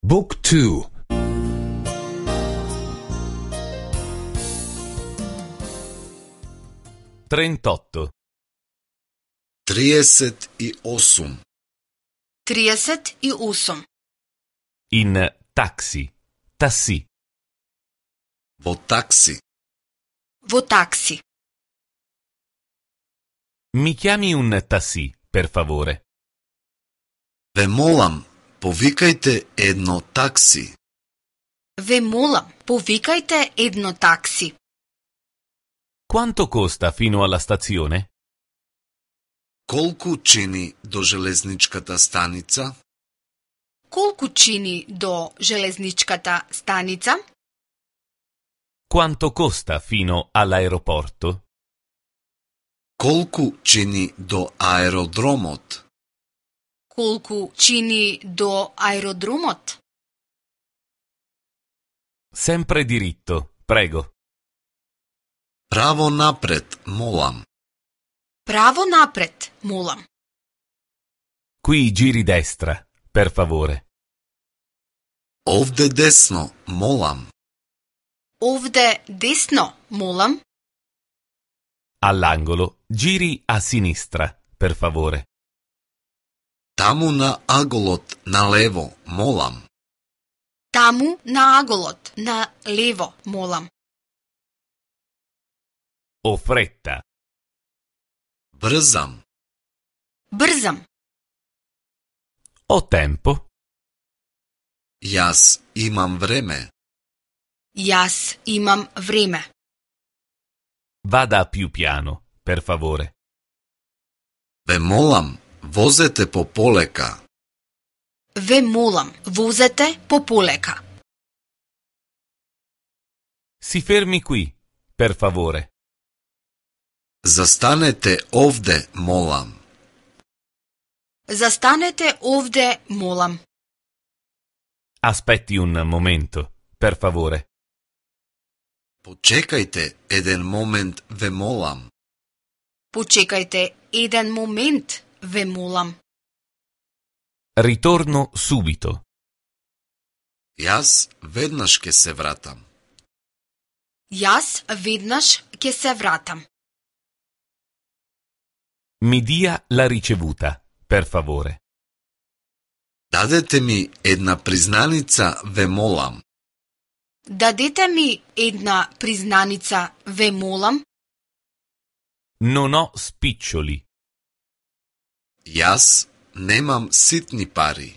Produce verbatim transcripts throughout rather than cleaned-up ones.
Book two. trentotto. триесет и осум. триесет и осум. In taxi. Tassi. Во такси. Во такси. Mi chiami un tassi, per favore? Ве молам, повикајте едно такси. Ве молам, повикајте едно такси. Quanto costa fino alla stazione? Колку чини до железничката станица? Колку чини до железничката станица? Quanto costa fino all'aeroporto? Колку чини до аеродромот? Колку чини до аеродромот? Sempre diritto, prego. Право напред, молам. Право напред, молам. Qui giri destra, per favore. Овде десно, молам. Овде десно, молам. All'angolo, giri a sinistra, per favore. Таму на аголот, налево, молам. Таму на аголот, на лево, молам. Ho fretta. Брзам. Брзам. Ho tempo. Јас имам време. Јас имам време. Vada più piano, per favore. Ве молам, возете по полека. Ве молам, возете пополека. Si fermi qui, per favore. Застанете овде, молам. Застанете овде, молам. Aspetti un momento, per favore. Почекајте еден момент, ве молам. Почекајте еден момент, ве молам. Ritorno subito. Јас веднаш ќе се вратам. Јас веднаш ќе се вратам. Mi dia la ricevuta, per favore. Дадете ми една признаница, ве молам. Дадете ми една признаница, ве молам. Non ho spiccioli. Јас немам ситни пари.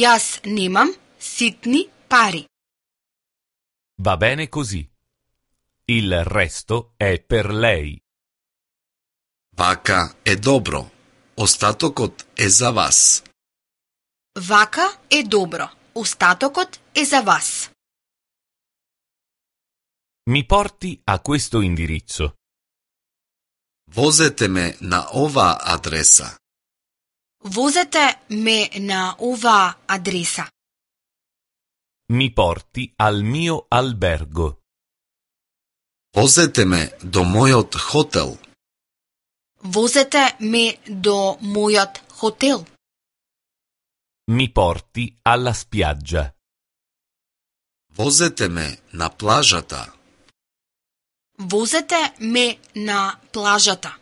Јас немам ситни пари. Va bene così. Il resto è per lei. Вака е добро. Остатокот е за вас. Вака е добро. Остатокот е за вас. Mi porti a questo indirizzo. Возете ме на оваа адреса. Возете ме на оваа адреса. Mi porti al mio albergo. Возете ме до мојот хотел. Возете ме до мојот хотел. Mi porti alla spiaggia. Возете ме на плажата. Возете ме на плажата.